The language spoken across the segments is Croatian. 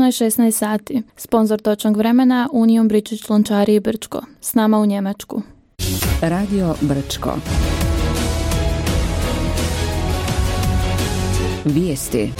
je 16 sati. Sponzor točnog vremena Union Bričić Lončari i Brčko. S nama u Njemačku. Radio Brčko. Vijesti.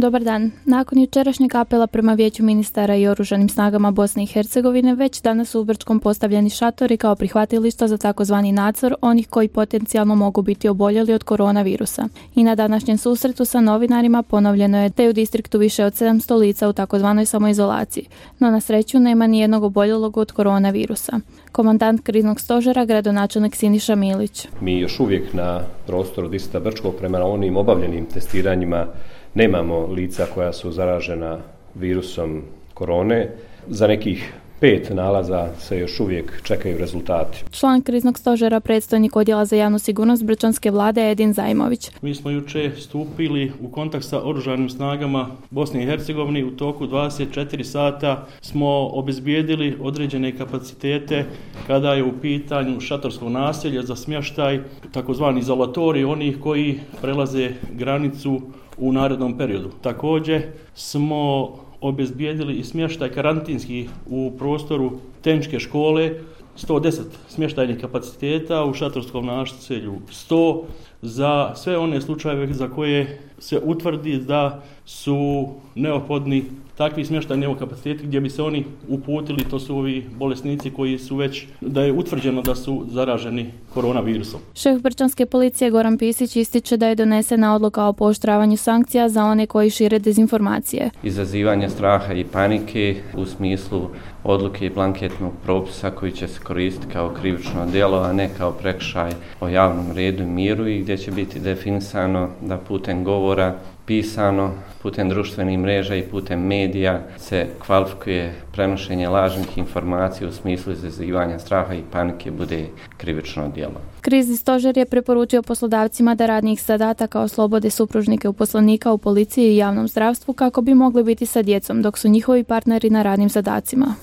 Dobar dan. Nakon jučerašnjeg apela prema Vijeću ministara i oružanim snagama Bosne i Hercegovine, već danas su u Brčkom postavljeni šatori kao prihvatilišta za takozvani nadzor onih koji potencijalno mogu biti oboljeli od koronavirusa. I na današnjem susretu sa novinarima ponovljeno je da je u distriktu više od 700 lica u takozvanoj samoizolaciji, no na sreću nema ni jednog oboljelog od koronavirusa. Komandant kriznog stožera, gradonačelnik Siniša Milić. Mi još uvijek na prostoru distrikta Brčkog prema onim obavljenim testiranjima nemamo lica koja su zaražena virusom korone. Za nekih 5 nalaza se još uvijek čekaju rezultati. Član kriznog stožera, predstojnik odjela za javnu sigurnost Brčanske vlade Edin Zajmović. Mi smo jučer stupili u kontakt sa oružanim snagama Bosne i Hercegovine. U toku 24 sata smo obezbijedili određene kapacitete kada je u pitanju šatorsko naselje za smještaj, takozvani izolatori onih koji prelaze granicu u narednom periodu. Također smo obezbijedili i smještaj karantinski u prostoru tehničke škole, 110 smještajnih kapaciteta, u šatorskom naselju 100, za sve one slučajeve za koje se utvrdi da su neophodni takvi smještajni kapaciteti gdje bi se oni uputili, to su ovi bolesnici koji su već, da je utvrđeno da su zaraženi koronavirusom. Šef Brčanske policije Goran Pisić ističe da je donesena odluka o pooštravanju sankcija za one koji šire dezinformacije. Izazivanje straha i panike u smislu odluke i blanketnog propisa koji će se koristiti kao krivično djelo, a ne kao prekršaj o javnom redu i miru, i gdje će biti definisano da putem govora, pisano, putem društvenih mreža i putem medija se kvalifikuje prenošenje lažnih informacija u smislu izazivanja straha i panike bude krivično djelo. Krizni stožer je preporučio poslodavcima da radnih zadataka oslobode supružnike uposlenika u policiji i javnom zdravstvu kako bi mogli biti sa djecom dok su njihovi partneri na radnim zadacima.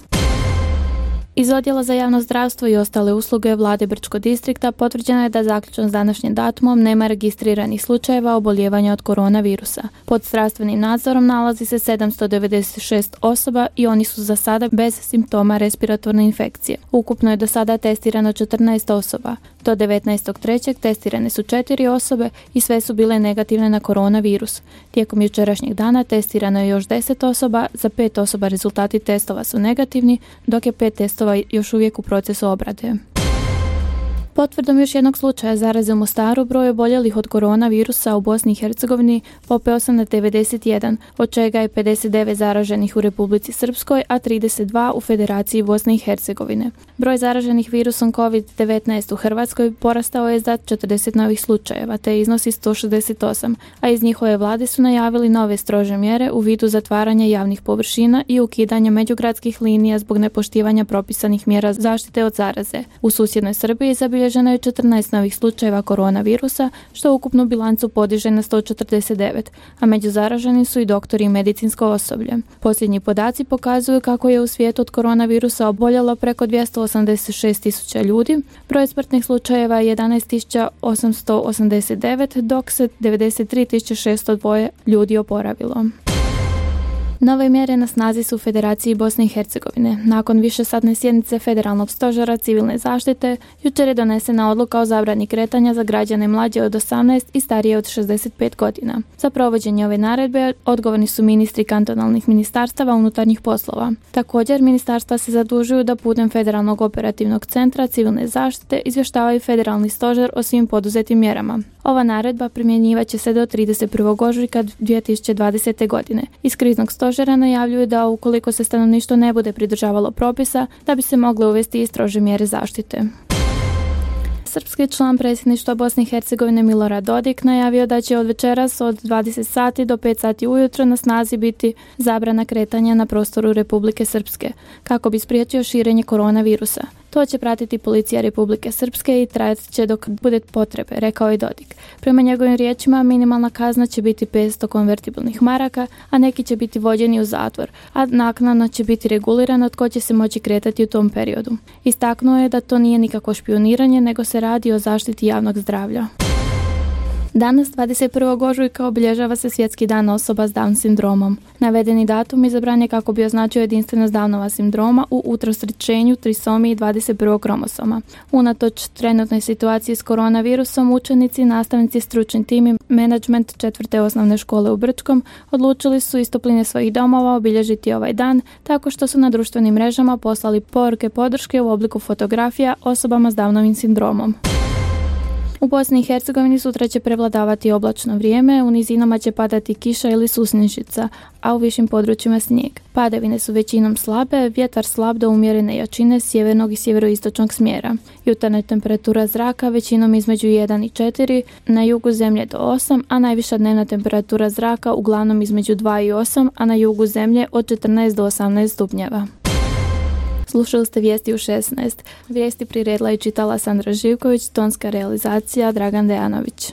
Iz odjela za javno zdravstvo i ostale usluge vlade Brčkog distrikta potvrđeno je da zaključno s današnjim datumom nema registriranih slučajeva oboljevanja od koronavirusa. Pod zdravstvenim nadzorom nalazi se 796 osoba i oni su za sada bez simptoma respiratorne infekcije. Ukupno je do sada testirano 14 osoba. Do 19.3. testirane su 4 osobe i sve su bile negativne na koronavirus. Tijekom jučerašnjeg dana testirano je još 10 osoba, za 5 osoba rezultati testova su negativni, dok je 5 testova još uvijek u procesu obrade. Potvrdom još jednog slučaja zaraze u Mostaru, broj oboljelih od koronavirusa u Bosni i Hercegovini popeo se na 91, od čega je 59 zaraženih u Republici Srpskoj, a 32 u Federaciji Bosne i Hercegovine. Broj zaraženih virusom COVID-19 u Hrvatskoj porastao je za 40 novih slučajeva, te iznosi 168, a iz njihove vlade su najavili nove strože mjere u vidu zatvaranja javnih površina i ukidanja međugradskih linija zbog nepoštivanja propisanih mjera zaštite od zaraze. U susjednoj Srbiji zabilježeno je 14 novih slučajeva koronavirusa, što ukupnu bilancu podiže na 149, a među zaraženim su i doktori i medicinsko osoblje. Posljednji podaci pokazuju kako je u svijetu od koronavirusa oboljelo preko 286.000 ljudi. Broj smrtnih slučajeva je 11.889, dok se 93.602 ljudi oporavilo. Nove mjere na snazi su u Federaciji Bosne i Hercegovine. Nakon višesatne sjednice Federalnog stožera civilne zaštite, jučer je donesena odluka o zabrani kretanja za građane mlađe od 18 i starije od 65 godina. Za provođenje ove naredbe odgovorni su ministri kantonalnih ministarstava unutarnjih poslova. Također, ministarstva se zadužuju da putem Federalnog operativnog centra civilne zaštite izvještavaju Federalni stožer o svim poduzetim mjerama. Ova naredba primjenjivat će se do 31. ožujka 2020. godine. Iz kriznog stožera najavljuju da ukoliko se stanovništvo ne bude pridržavalo propisa, da bi se mogle uvesti i strože mjere zaštite. Srpski član predsjedništva Bosne i Hercegovine Milorad Dodik najavio da će od večeras od 20 sati do 5 sati ujutro na snazi biti zabrana kretanja na prostoru Republike Srpske, kako bi spriječio širenje koronavirusa. To će pratiti policija Republike Srpske i trajat će dok bude potrebe, rekao je Dodik. Prema njegovim riječima, minimalna kazna će biti 500 konvertibilnih maraka, a neki će biti vođeni u zatvor, a naknadno će biti regulirano tko će se moći kretati u tom periodu. Istaknuo je da to nije nikako špijuniranje, nego se radi o zaštiti javnog zdravlja. Danas, 21. ožujka, obilježava se Svjetski dan osoba s Down sindromom. Navedeni datum izabran je kako bi označio jedinstvenost Downova sindroma u utrostručenju trisomiji 21. kromosoma. Unatoč trenutnoj situaciji s koronavirusom, učenici, nastavnici, stručni tim i menadžment 4. osnovne škole u Brčkom odlučili su iz topline svojih domova obilježiti ovaj dan tako što su na društvenim mrežama poslali poruke podrške u obliku fotografija osobama s Downovim sindromom. U Bosni i Hercegovini sutra će prevladavati oblačno vrijeme, u nizinama će padati kiša ili susnišica, a u višim područjima snijeg. Padavine su većinom slabe, vjetar slab do umjerene jačine sjevernog i sjeveroistočnog smjera. Jutarnja temperatura zraka većinom između 1 i 4, na jugu zemlje do 8, a najviša dnevna temperatura zraka uglavnom između 2 i 8, a na jugu zemlje od 14 do 18 stupnjeva. Slušali ste vijesti u 16. Vijesti priredila i čitala Sandra Živković, tonska realizacija Dragan Dejanović.